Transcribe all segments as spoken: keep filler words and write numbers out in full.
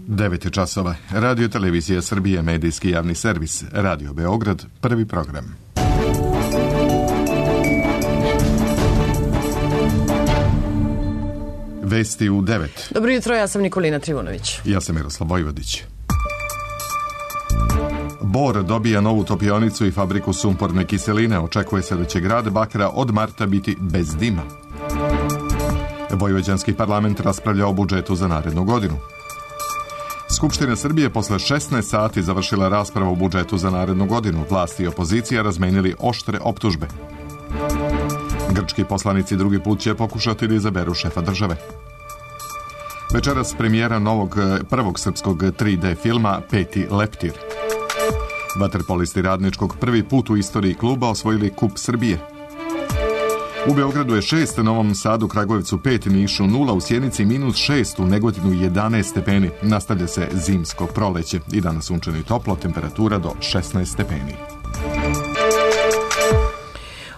devet časova. Radio Televizija Srbije, medijski javni servis. Radio Beograd, prvi program. Vesti u devet. Dobro jutro, ja sam Nikolina Trivunović. Ja sam Miroslav Vojvodić. Bor dobija novu topionicu i fabriku sumporne kiseline. Očekuje se da će grad Bakra od marta biti bez dima. Vojvođanski parlament raspravlja o budžetu za narednu godinu. Skupština Srbije posle šesnaest sati završila raspravu o budžetu za narednu godinu. Vlasti i opozicija razmenili oštre optužbe. Grčki poslanici drugi put će pokušati da izaberu šefa države. Večeras premijera novog prvog srpskog tri D filma Peti leptir. Vaterpolisti Radničkog prvi put u istoriji kluba osvojili Kup Srbije. U Beogradu je šest, Novom Sadu, Kragujevcu pet, Nišu nula, u Sjenici minus šest, u Negotinu jedanaest stepeni. Nastavlja se zimsko proleće i danas sunčano i toplo, temperatura do šesnaest stepeni.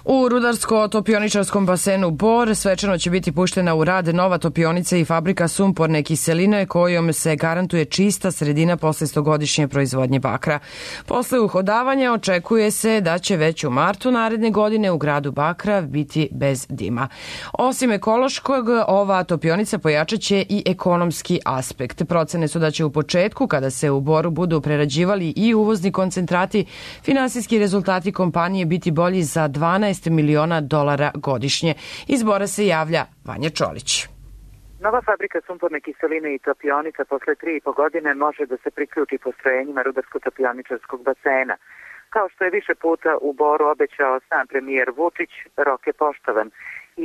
U rudarsko-topioničarskom basenu Bor svečano će biti puštena u rad nova topionica i fabrika sumporne kiseline kojom se garantuje čista sredina posle stogodišnje proizvodnje bakra. Posle uhodavanja očekuje se da će već u martu naredne godine u gradu Bakra biti bez dima. Osim ekološkog, ova topionica pojačat će i ekonomski aspekt. Procene su da će u početku, kada se u Boru budu prerađivali i uvozni koncentrati, finansijski rezultati kompanije biti bolji za dvanaest miliona dolara godišnje. Iz Bora se javlja Vanja Čolić. Nova fabrika sumporne kiseline i topionica posle tri i po godine može da se priključi postrojenjima rudarsko-topioničarskog basena. Kao što je više puta u Boru obećao sam premijer Vučić, rok je poštovan.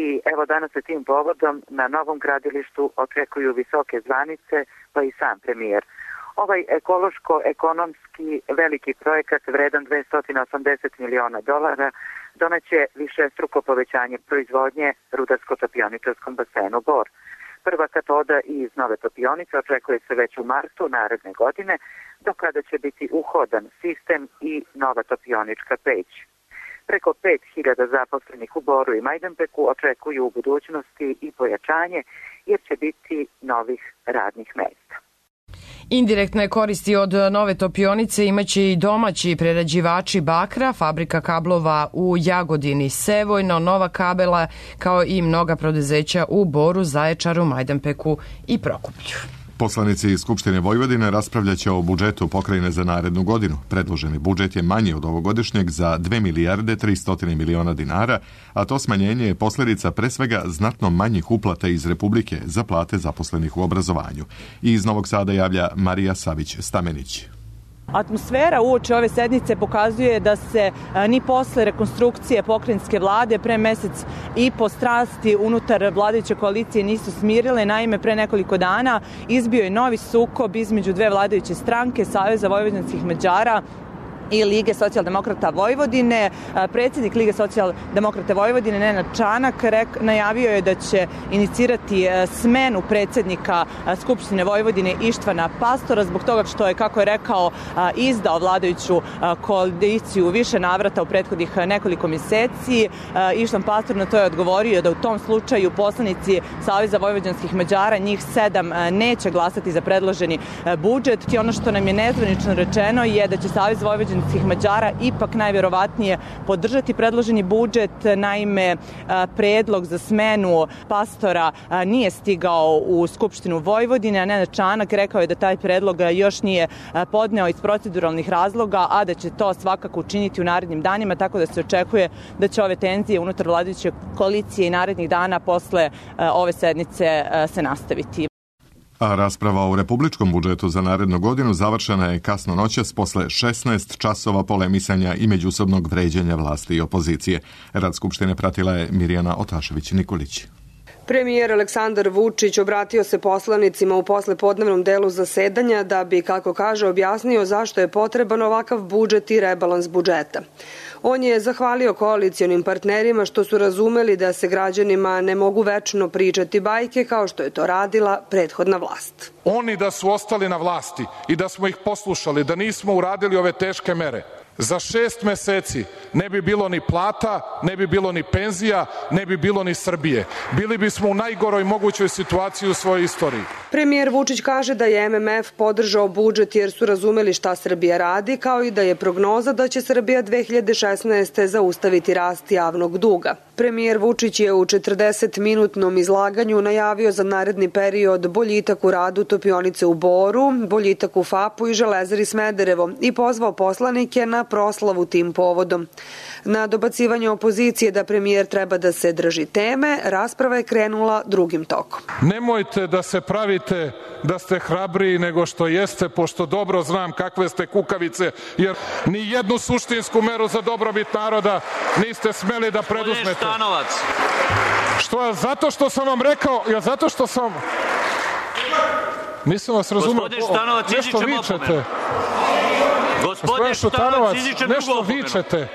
I evo danas se tim povodom na novom gradilištu očekuju visoke zvanice, pa i sam premijer. Ovaj ekološko-ekonomski veliki projekat vredan dvesta osamdeset miliona dolara doneće višestruko povećanje proizvodnje rudarsko-topioničarskom basenu Bor. Prva katoda iz nove topionice očekuje se već u martu naredne godine, do kada će biti uhodan sistem i nova topionička peć. Preko pet hiljada zaposlenih u Boru i Majdanpeku očekuju u budućnosti i pojačanje, jer će biti novih radnih mesta. Indirektne koristi od nove topionice imaće i domaći prerađivači bakra, fabrika kablova u Jagodini, Sevojno, Nova kabela, kao i mnoga preduzeća u Boru, Zaječaru, Majdanpeku i Prokuplju. Poslanici iz Skupštine Vojvodine raspravljaće o budžetu pokrajine za narednu godinu. Predloženi budžet je manji od ovogodišnjeg za dve milijarde tristo miliona dinara, a to smanjenje je posljedica pre svega znatno manjih uplata iz Republike za plate zaposlenih u obrazovanju. I iz Novog Sada javlja Marija Savić-Stamenić. Atmosfera uoči ove sednice pokazuje da se ni posle rekonstrukcije pokrajinske vlade pre mesec i po strasti unutar vladajuće koalicije nisu smirile. Naime, pre nekoliko dana izbio je novi sukob između dve vladajuće stranke, Saveza vojvođanskih Mađara i Lige socijaldemokrata Vojvodine. Predsjednik Lige socijaldemokrata Vojvodine, Nenad Čanak, najavio je da će inicirati smenu predsjednika Skupštine Vojvodine Ištvana Pastora zbog toga što je, kako je rekao, izdao vladajuću koaliciju više navrata u prethodnih nekoliko mjeseci. Ištvan Pastor na to je odgovorio da u tom slučaju poslanici Saveza vojvođanskih Mađara, njih sedam, neće glasati za predloženi budžet. I ono što nam je nezvanično rečeno je da će Savez vojvođanskih Mađara ipak najvjerovatnije podržati predloženi budžet. Naime, predlog za smenu Pastora nije stigao u Skupštinu Vojvodine, a Nenad Čanak rekao je da taj predlog još nije podneo iz proceduralnih razloga, a da će to svakako učiniti u narednim danima, tako da se očekuje da će ove tenzije unutar vladajuće koalicije i narednih dana posle ove sednice se nastaviti. A rasprava o republičkom budžetu za narednu godinu završena je kasno noćas posle šesnaest časova polemisanja i međusobnog vređanja vlasti i opozicije. Rad Skupštine pratila je Mirjana Otašević-Nikolić. Premijer Aleksandar Vučić obratio se poslanicima u poslepodnevnom delu zasedanja da bi, kako kaže, objasnio zašto je potreban ovakav budžet i rebalans budžeta. On je zahvalio koalicionim partnerima što su razumeli da se građanima ne mogu večno pričati bajke kao što je to radila prethodna vlast. Oni da su ostali na vlasti i da smo ih poslušali, da nismo uradili ove teške mere, za šest meseci ne bi bilo ni plata, ne bi bilo ni penzija, ne bi bilo ni Srbije. Bili bismo u najgoroj mogućoj situaciji u svojoj istoriji. Premijer Vučić kaže da je M M F podržao budžet jer su razumeli šta Srbija radi, kao i da je prognoza da će Srbija dve hiljade šesnaeste. zaustaviti rast javnog duga. Premijer Vučić je u četrdesetminutnom izlaganju najavio za naredni period boljitak u radu topionice u Boru, boljitak u F A P-u i Železari Smederevo i pozvao poslanike na proslavu tim povodom. Na dobacivanje opozicije da premijer treba da se drži teme, rasprava je krenula drugim tokom. Nemojte da se pravite da ste hrabriji nego što jeste, pošto dobro znam kakve ste kukavice, jer ni jednu suštinsku meru za dobrobit naroda niste smeli da preduzmete. Što, zato što sam vam rekao, ja zato što sam... Nisam vas razumio. Gospodin Šutanovac, nešto vičete. Gospodin Šutanovac, nešto vičete.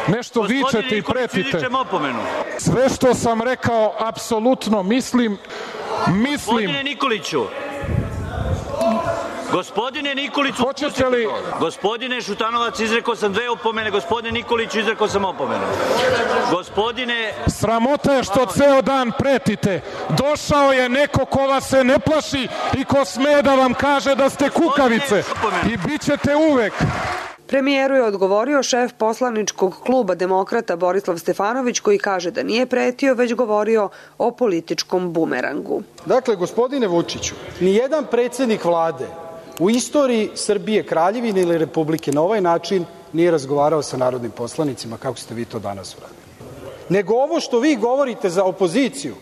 Nešto vičete i pretite. Sve što sam rekao, apsolutno mislim, mislim... Gospodine Nikoliću, Gospodine Nikoliću, hoćete li... Gospodine Šutanovac, izrekao sam dve opomene, gospodine Nikoliću, izrekao sam opomenu. Gospodine... Sramota je što ceo dan pretite. Došao je neko ko vas se ne plaši i ko sme da vam kaže da ste kukavice. I bit ćete uvek. Premijeru je odgovorio šef poslaničkog kluba Demokrata Borislav Stefanović, koji kaže da nije pretio, već govorio o političkom bumerangu. Dakle, gospodine Vučiću, nijedan predsednik vlade u istoriji Srbije, Kraljevine ili Republike na ovaj način nije razgovarao sa narodnim poslanicima kako ste vi to danas uradili. Nego ovo što vi govorite za opoziciju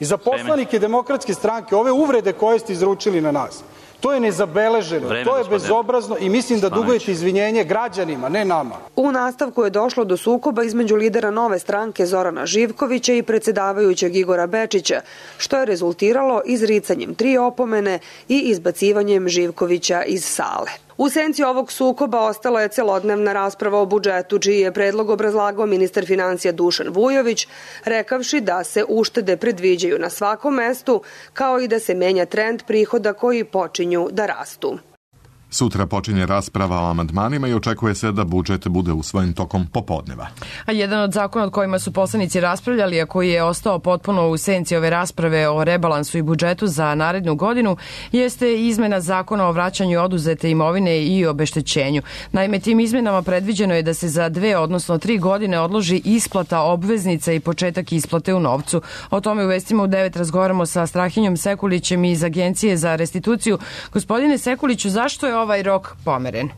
i za poslanike Demokratske stranke, ove uvrede koje ste izručili na nas, to je nezabeleženo, Vreme, to je bezobrazno i mislim da dugujete izvinjenje građanima, ne nama. U nastavku je došlo do sukoba između lidera Nove stranke Zorana Živkovića i predsedavajućeg Igora Bečića, što je rezultiralo izricanjem tri opomene i izbacivanjem Živkovića iz sale. U senci ovog sukoba ostala je celodnevna rasprava o budžetu, čiji je predlog obrazlagao ministar finansija Dušan Vujović, rekavši da se uštede predviđaju na svakom mestu, kao i da se menja trend prihoda koji počinju da rastu. Sutra počinje rasprava o amandmanima i očekuje se da budžet bude usvojen tokom popodneva. A jedan od zakona od kojima su poslanici raspravljali, a koji je ostao potpuno u senci ove rasprave o rebalansu i budžetu za narednu godinu, jeste izmena zakona o vraćanju oduzete imovine i obeštećenju. Naime, tim izmenama predviđeno je da se za dve, odnosno tri godine odloži isplata obveznica i početak isplate u novcu. O tome u Vestima u devet razgovaramo sa Strahinjom Sekulićem iz Agencije za restituciju. Gospodine Sekuliću, zašto je ovaj rok pomeren?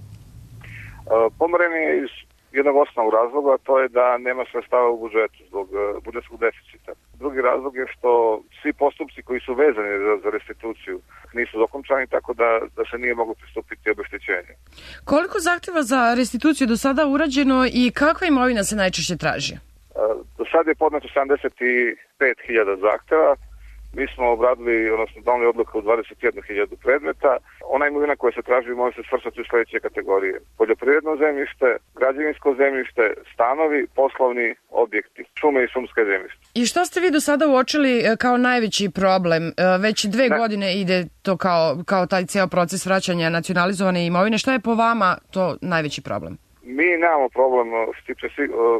Pomeren je iz jednog osnovnog razloga, a to je da nema sredstava u budžetu zbog budžetskog deficita. Drugi razlog je što svi postupci koji su vezani za restituciju nisu dokončani, tako da, da se nije moglo pristupiti obeštećenju. Koliko zahteva za restituciju do sada urađeno i kakva imovina se najčešće traži? Do sada je podneto sedamdeset pet hiljada zahteva. Mi smo obradili, odnosno doneli odluku u dvadeset jednu hiljadu predmeta. Ona imovina koja se traži može se svrstati u sledeće kategorije. Poljoprivredno zemljište, građevinsko zemljište, stanovi, poslovni objekti, šume i šumske zemljište. I šta ste vi do sada uočili kao najveći problem? Već dve ne. godine ide to kao, kao taj ceo proces vraćanja nacionalizovane imovine. Šta je po vama to najveći problem? Mi nemamo problem što se tiče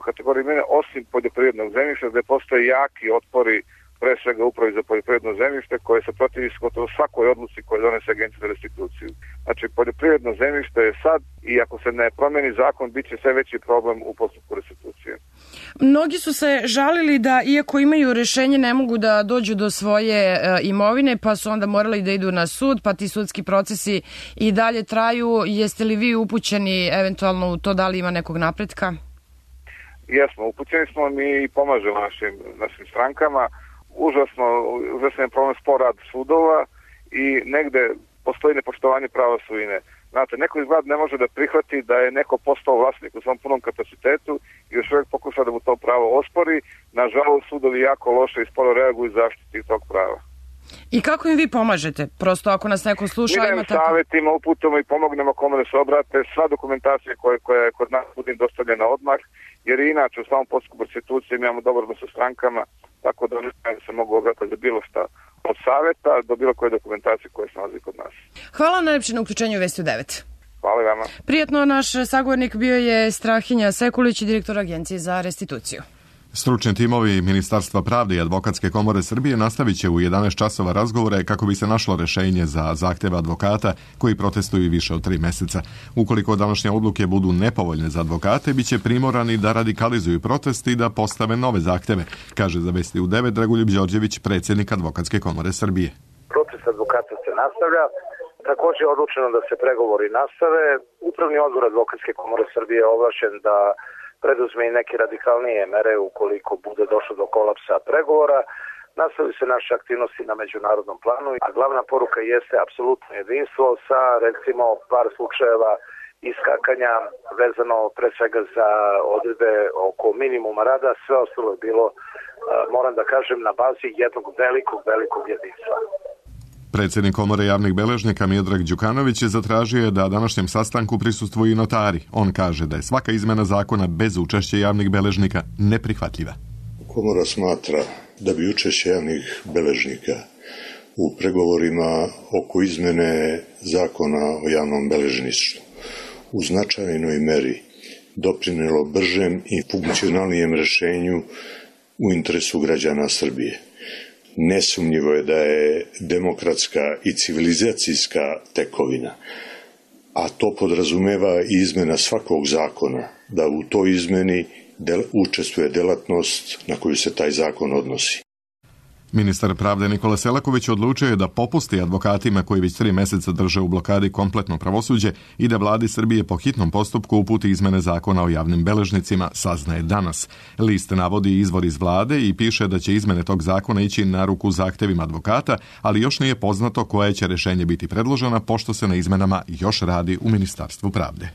kategorije imovine, osim poljoprivrednog zemljišta, gde postoje jaki otpori pre svega upravi za poljoprivredno zemljište koje se protivi gotovo svakoj odluci koje donese Agencija za restituciju. Znači, poljoprivredno zemljište je sad i ako se ne promeni zakon, bit će sve veći problem u postupku restitucije. Mnogi su se žalili da iako imaju rešenje ne mogu da dođu do svoje e, imovine, pa su onda morali da idu na sud, pa ti sudski procesi i dalje traju. Jeste li vi upućeni eventualno u to da li ima nekog napretka? Jesmo, upućeni smo mi i pomažemo našim, našim strankama. Užasno, užasno je problem spor rad sudova i negde postoji nepoštovanje prava svojine. Znate, neko iz vlade ne može da prihvati da je neko postao vlasnik u svom punom kapacitetu i još uvijek pokuša da mu to pravo ospori. Nažalost, sudovi jako loše i sporo reaguju zaštiti tog prava. I kako im vi pomažete? Prosto ako nas neko sluša... Mi dajem savjetima, uputamo i pomognemo kome da se obrate. Sva dokumentacija koja, koja je kod nas bude dostavljena odmah, jer inače u samom postupku restitucije imamo dobar odnos sa strankama, tako da oni se mogu obratiti za bilo šta. Od savjeta do bilo koje dokumentacije koje se nalazi kod nas. Hvala najlepše na uključenju Vesti u devet. Hvala vama. Prijetno, naš sagovornik bio je Strahinja Sekulić, direktor Agencije za restituciju. Stručni timovi Ministarstva pravde i Advokatske komore Srbije nastavit će u jedanaest časova razgovore kako bi se našlo rešenje za zahteve advokata koji protestuju više od tri meseca. Ukoliko današnje odluke budu nepovoljne za advokate, bit će primorani da radikalizuju protest i da postave nove zahteve, kaže za Vesti u devet Dragoljub Đorđević, predsjednik Advokatske komore Srbije. Protest advokata se nastavlja. Također je odlučeno da se pregovori nastave. Upravni odbor Advokatske komore Srbije je ovlašćen da preduzme i neke radikalnije mere ukoliko bude došlo do kolapsa pregovora. Nastavljaju se naše aktivnosti na međunarodnom planu, a glavna poruka jeste apsolutno jedinstvo sa, recimo, par slučajeva iskakanja vezano pre svega za odredbe oko minimuma rada. Sve ostalo je bilo, moram da kažem, na bazi jednog velikog, velikog jedinstva. Predsjednik komore javnih beležnika Miodrag Đukanović je zatražio da današnjem sastanku prisustvuju i notari. On kaže da je svaka izmena zakona bez učešća javnih beležnika neprihvatljiva. Komora smatra da bi učešće javnih beležnika u pregovorima oko izmene zakona o javnom beležništvu u značajnoj meri doprinelo bržem i funkcionalnijem rešenju u interesu građana Srbije. Nesumnjivo je da je demokratska i civilizacijska tekovina, a to podrazumeva i izmena svakog zakona, da u toj izmeni del, učestvuje delatnost na koju se taj zakon odnosi. Ministar pravde Nikola Selaković odlučio je da popusti advokatima koji već tri meseca drže u blokadi kompletno pravosuđe i da vladi Srbije po hitnom postupku uputi izmene zakona o javnim beležnicima, saznaje danas. List navodi izvor iz vlade i piše da će izmene tog zakona ići na ruku zahtevima advokata, ali još nije poznato koje će rešenje biti predložena, pošto se na izmenama još radi u Ministarstvu pravde.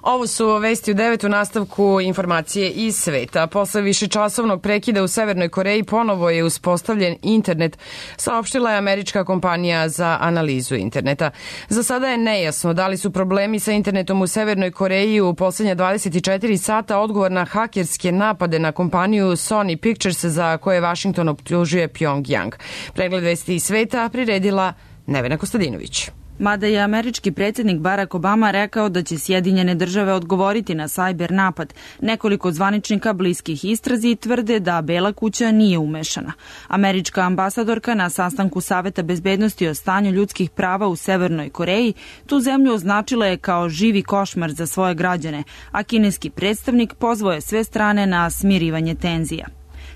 Ovo su Vesti u devet, u nastavku informacije iz sveta. Posle višečasovnog prekida u Severnoj Koreji ponovo je uspostavljen internet, saopštila je američka kompanija za analizu interneta. Za sada je nejasno da li su problemi sa internetom u Severnoj Koreji u poslednja dvadeset četiri sata odgovor na hakerske napade na kompaniju Sony Pictures za koje Washington optužuje Pyongyang. Pregled Vesti iz sveta priredila Nevena Kostadinović. Mada je američki predsjednik Barack Obama rekao da će Sjedinjene države odgovoriti na sajber napad, nekoliko zvaničnika bliskih istrazi tvrde da Bela kuća nije umešana. Američka ambasadorka na sastanku Saveta bezbednosti o stanju ljudskih prava u Severnoj Koreji tu zemlju označila je kao živi košmar za svoje građane, a kineski predstavnik pozvao je sve strane na smirivanje tenzija.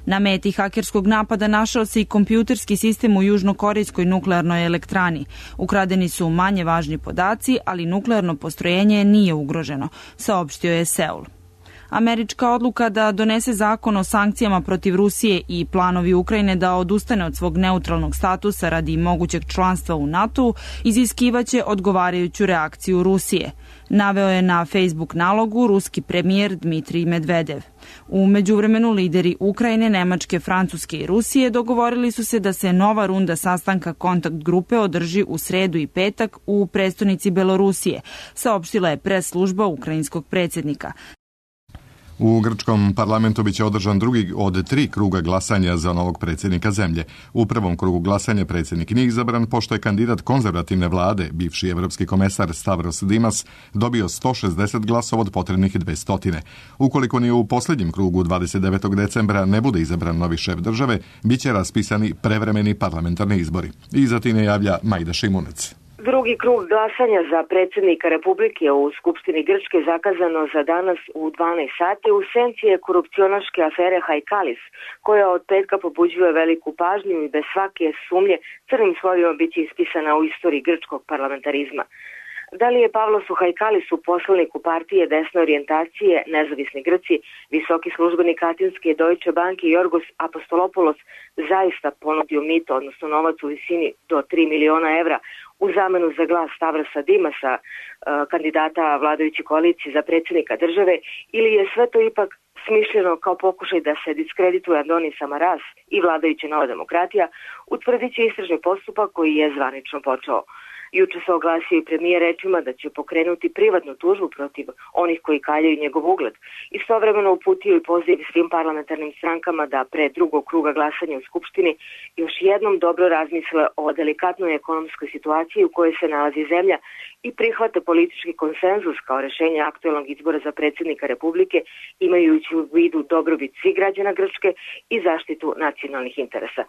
Na meti hakerskog napada našao se i kompjuterski sistem u južnokorejskoj nuklearnoj elektrani. Ukradeni su manje važni podaci, ali nuklearno postrojenje nije ugroženo, saopštio je Seul. Američka odluka da donese zakon o sankcijama protiv Rusije i planovi Ukrajine da odustane od svog neutralnog statusa radi mogućeg članstva u NATO iziskivaće odgovarajuću reakciju Rusije, naveo je na Facebook nalogu ruski premijer Dmitrij Medvedev. U međuvremenu lideri Ukrajine, Nemačke, Francuske i Rusije dogovorili su se da se nova runda sastanka kontakt grupe održi u sredu i petak u prestonici Belorusije, saopštila je pres služba ukrajinskog predsjednika. U grčkom parlamentu biće održan drugi od tri kruga glasanja za novog predsjednika zemlje. U prvom krugu glasanja predsjednik nije izabran pošto je kandidat konzervativne vlade, bivši evropski komesar Stavros Dimas, dobio sto šezdeset glasova od potrebnih dvesta. Ukoliko ni u posljednjem krugu dvadeset devetog decembra ne bude izabran novi šef države, biće raspisani prevremeni parlamentarni izbori. Iza tine javlja Majda Šimunec. Drugi krug glasanja za predsjednika Republike u Skupštini Grčke zakazano za danas u dvanaest sati u senci je korupcionaške afere Hajkalis, koja od petka pobuđuje veliku pažnju i bez svake sumnje crnim slovima biće ispisana u istoriji grčkog parlamentarizma. Da li je Pavlosu Hajkalisu, poslaniku partije desne orijentacije Nezavisni Grci, visoki službenik Atinske Deutsche Banke Jorgos Apostolopoulos zaista ponudio mito, odnosno novac u visini do tri miliona evra u zamenu za glas Stavrasa Dimasa, kandidata vladajuće koalicije za predsjednika države, ili je sve to ipak smišljeno kao pokušaj da se diskredituje Andonis Samaras i vladajuća Nova demokratija, utvrdit će istražni postupak koji je zvanično počeo. Juče se oglasio i premijer rečima da će pokrenuti privatnu tužbu protiv onih koji kaljaju njegov ugled. Istovremeno uputio i poziv svim parlamentarnim strankama da pre drugog kruga glasanja u Skupštini još jednom dobro razmisle o delikatnoj ekonomskoj situaciji u kojoj se nalazi zemlja i prihvate politički konsenzus kao rešenje aktuelnog izbora za predsjednika Republike, imajući u vidu dobrobit svih građana Grčke i zaštitu nacionalnih interesa.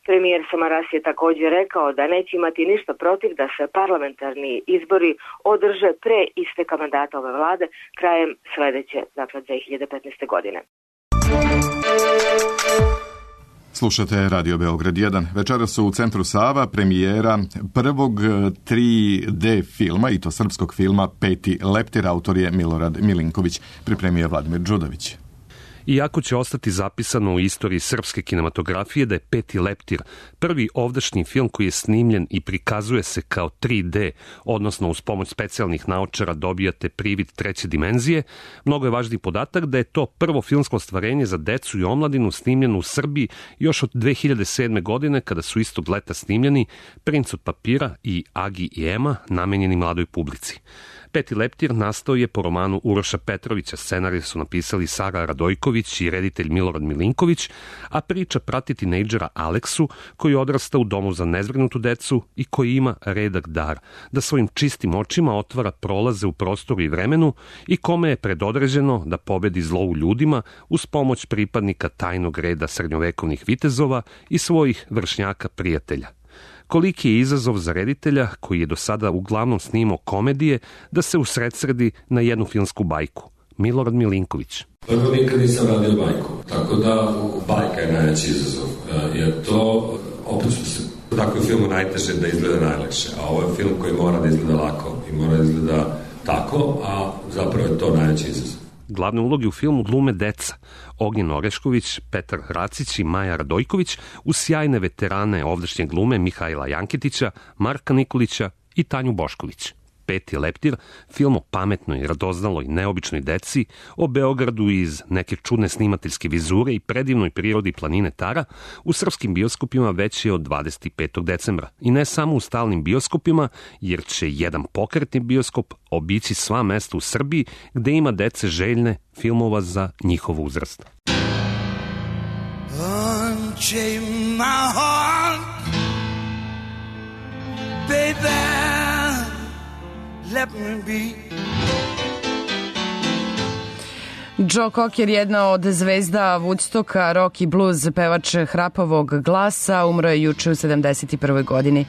Premijer Samaras je također rekao da neće imati ništa protiv da se parlamentarni izbori održe pre isteka mandata ove vlade krajem sledeće, dakle dve hiljade petnaeste. godine. Slušate Radio Beograd jedan. Večeras su u Centru Sava premijera prvog tri D filma, i to srpskog filma Peti leptir, autor je Milorad Milinković, pripremio je Vladimir Đudović. Iako će ostati zapisano u istoriji srpske kinematografije da je Peti leptir prvi ovdašnji film koji je snimljen i prikazuje se kao tri D, odnosno uz pomoć specijalnih naočara dobijate privid treće dimenzije, mnogo je važniji podatak da je to prvo filmsko ostvarenje za decu i omladinu snimljeno u Srbiji još od dve hiljade sedme. godine, kada su istog leta snimljeni Princ od papira i Agi i Ema, namenjeni mladoj publici. Peti leptir nastao je po romanu Uroša Petrovića, scenarij su napisali Sara Radojković i reditelj Milorad Milinković, a priča prati tinejdžera Aleksu, koji odrasta u domu za nezbrinutu decu i koji ima redak dar, da svojim čistim očima otvara prolaze u prostoru i vremenu i kome je predodređeno da pobedi zlo u ljudima uz pomoć pripadnika tajnog reda srednjovekovnih vitezova i svojih vršnjaka prijatelja. Koliki je izazov za reditelja, koji je do sada uglavnom snimao komedije, da se usredsredi na jednu filmsku bajku. Milorad Milinković. Prvo nikad nisam radio bajku, tako da bajka je najveći izazov, jer to, obično se u takvom filmu najteže da izgleda najlakše, a ovo je film koji mora da izgleda lako i mora da izgleda tako, a zapravo je to najveći izazov. Glavne uloge u filmu glume deca, Ognjen Orešković, Petar Racić i Maja Radojković, uz sjajne veterane ovdašnje glume Mihajla Janketića, Marka Nikolića i Tanju Bošković. Peti leptir, film o pametnoj, radoznaloj, neobičnoj deci, o Beogradu iz neke čudne snimateljske vizure i predivnoj prirodi planine Tara, u srpskim bioskopima već je od dvadeset petog decembra. I ne samo u stalnim bioskopima, jer će jedan pokretni bioskop obići sva mesta u Srbiji gde ima dece željne filmova za njihov uzrast. Unchain my heart, baby. Let me be. Joe Cocker, jedna od zvezda Woodstocka, rock i blues, pevač hrapavog glasa, umro je juče u sedamdeset prvoj. godini.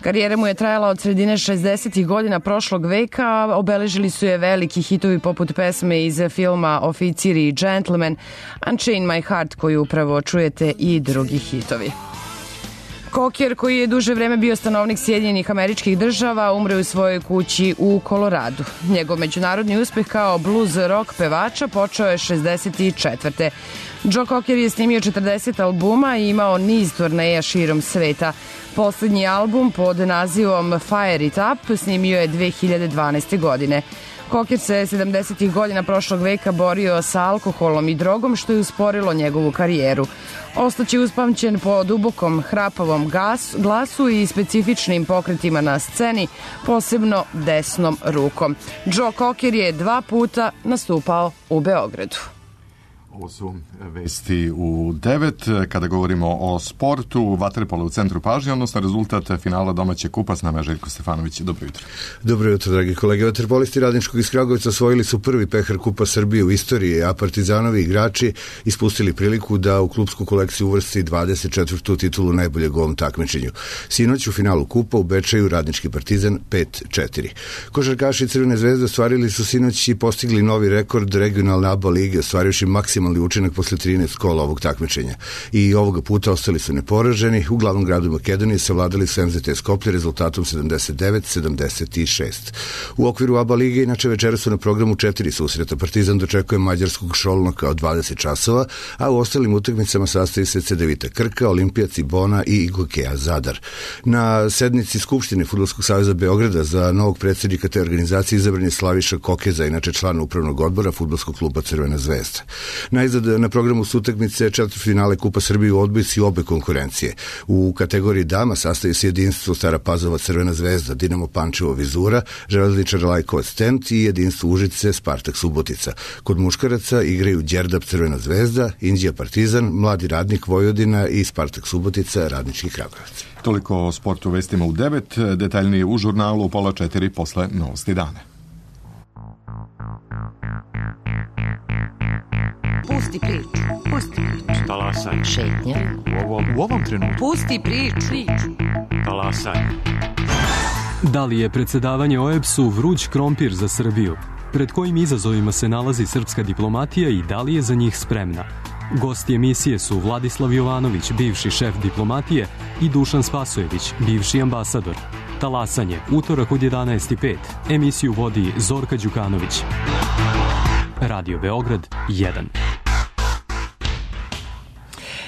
Karijera mu je trajala od sredine šezdesetih godina prošlog veka, obeležili su je veliki hitovi poput pesme iz filma Oficir i Gentleman, Unchain My Heart, koju upravo čujete, i drugi hitovi. Cocker, koji je duže vreme bio stanovnik Sjedinjenih Američkih Država, umre u svojoj kući u Koloradu. Njegov međunarodni uspeh kao blues rock pevača počeo je šezdeset četvrte. Joe Cocker je snimio četrdeset albuma i imao niz turneja širom sveta. Poslednji album pod nazivom Fire It Up snimio je dve hiljade dvanaeste. godine. Cocker se sedamdesetih godina prošlog veka borio sa alkoholom i drogom, što je usporilo njegovu karijeru. Ostaće uspamćen po dubokom hrapavom gas, glasu i specifičnim pokretima na sceni, posebno desnom rukom. Joe Cocker je dva puta nastupao u Beogradu. Ovo su vesti u devet. Kada govorimo o sportu, vaterpolo u centru pažnje, odnosno rezultat finala domaće kupa. S nama je Željko Stefanović. Dobro jutro. Dobro jutro, dragi kolege. Vaterpolisti Radničkog iz Kragujevca osvojili su prvi pehar Kupa Srbije u istoriji, a Partizanovi igrači ispustili priliku da u klubsku kolekciju uvrsti dvadeset četvrtu titulu najboljeg u ovom takmičenju. Sinoć u finalu Kupa u Bečeju Radnički Partizan pet četiri. Košarkaši Crvene zvezde ostvarili su sinoć i postigli novi rekord regionalne A B A lige, ostvarivši maksimalni učinak posle trinaest kola ovog takmičenja. I ovoga puta ostali su neporaženi. U glavnom gradu Makedonije savladali su M Z T Skoplje rezultatom sedamdeset devet sedamdeset šest. U okviru A B A lige inače večera su na programu četiri susreta. Partizan dočekuje mađarskog Šolnoka od dvadeset časova, a u ostalim utakmicama sastoji se Cedevita Krka, Olimpija Cibona i Igokea Zadar. Na sednici Skupštine Fudbalskog saveza Beograda za novog predsjednika te organizacije izabran je Slaviša Kokeza, inače član upravnog odbora Fudbalskog kluba Crvena zvezda. Najzad na programu su utakmice četvrtfinale Kupa Srbije u odbojci obe konkurencije. U kategoriji dama sastaju se jedinstvo Stara Pazova Crvena zvezda, Dinamo Pančevo Vizura, Železničar Lajkovac Tent i jedinstvo Užice Spartak Subotica. Kod muškaraca igraju Đerdap Crvena zvezda, Inđija Partizan, Mladi radnik Vojvodina i Spartak Subotica Radnički Kragujevac. Toliko o sportu vestima u devet, detaljnije u žurnalu u pola četiri posle Novosti dana. Pusti priču, pusti priču. Talasaj. Šetnja. U ovom, u ovom trenutku. Pusti priču. priču. Talasaj. Da li je predsedavanje O E B S-u vruć krompir za Srbiju? Pred kojim izazovima se nalazi srpska diplomatija i da li je za njih spremna? Gosti emisije su Vladislav Jovanović, bivši šef diplomatije, i Dušan Spasojević, bivši ambasador. Talasanje, utorak od jedanaest i pet. Emisiju vodi Zorka Đukanović. Radio Beograd jedan.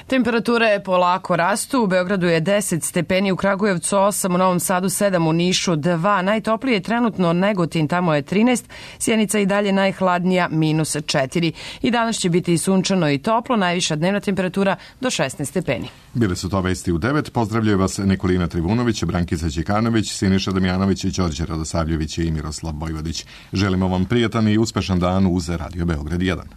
Temperature polako rastu, u Beogradu je deset stepeni, u Kragujevcu osam, u Novom Sadu sedam, u Nišu dva, najtoplije je trenutno Negotin, tamo je trinaest, Sjenica i dalje najhladnija, minus četiri. I danas će biti i sunčano i toplo, najviša dnevna temperatura do šesnaest stepeni. Bile su to vesti u devet, pozdravljaju vas Nikolina Trivunović, Brankica Đekanović, Siniša Damjanović, Đorđe Radosavljević i Miroslav Bojvodić. Želimo vam prijatan i uspešan dan uz Radio Beograd jedan.